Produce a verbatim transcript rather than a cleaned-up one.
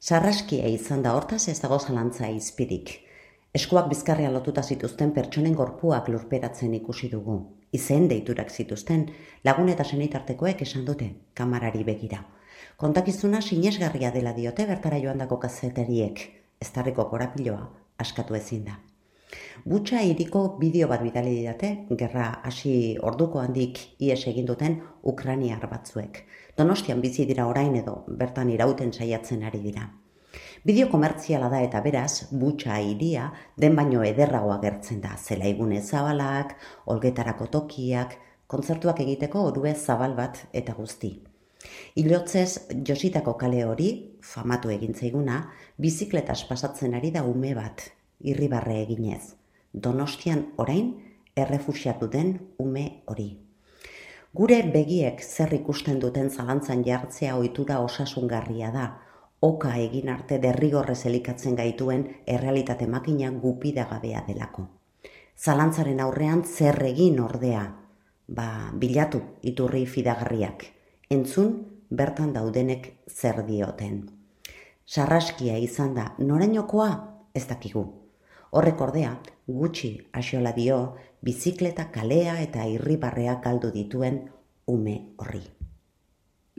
Sarraskia izan da hortaz ez dago zalantza izpirik. Eskuak bizkarria lotuta zituzten pertsonen gorpuak lurperatzen ikusi dugu. Izen deiturak zituzten, lagun eta senitartekoek esan dute, kamarari begira. Kontakizuna sinesgarria dela diote bertara joandako kazetariek, eztarriko korapiloa askatu ezin da. Butxa hiriko bideo bat bidali didate, gerra hasi orduko handik ihes egin duten ukrainiar batzuek. Donostian bizi dira orain edo bertan irauten saiatzen ari dira. Bideo komertziala da eta beraz, Butxa hiria den baino ederrago agertzen da. Zelaigune zabalak, olgetarako tokiak, kontzertuak egiteko orue zabal bat eta guzti. Ilotzez jositako kale hori, famatu egin zaiguna, bizikletas pasatzen ari da ume bat, irribarre eginez. Donostian orain errefuxiatu den ume hori. Gure begiek zer ikusten duten zalantzan jartzea ohitura osasungarria da, oka egin arte derrigorrez elikatzen gaituen errealitate makina gupidagabea delako. Zalantzaren aurrean zer egin ordea, ba, bilatu iturri fidagarriak, entzun bertan daudenek zer dioten. Sarraskia izan da, norainokoa ez dakigu. Horrek ordea, gutxi axola dio, bizikleta kalea eta irribarrea galdu dituen ume horri.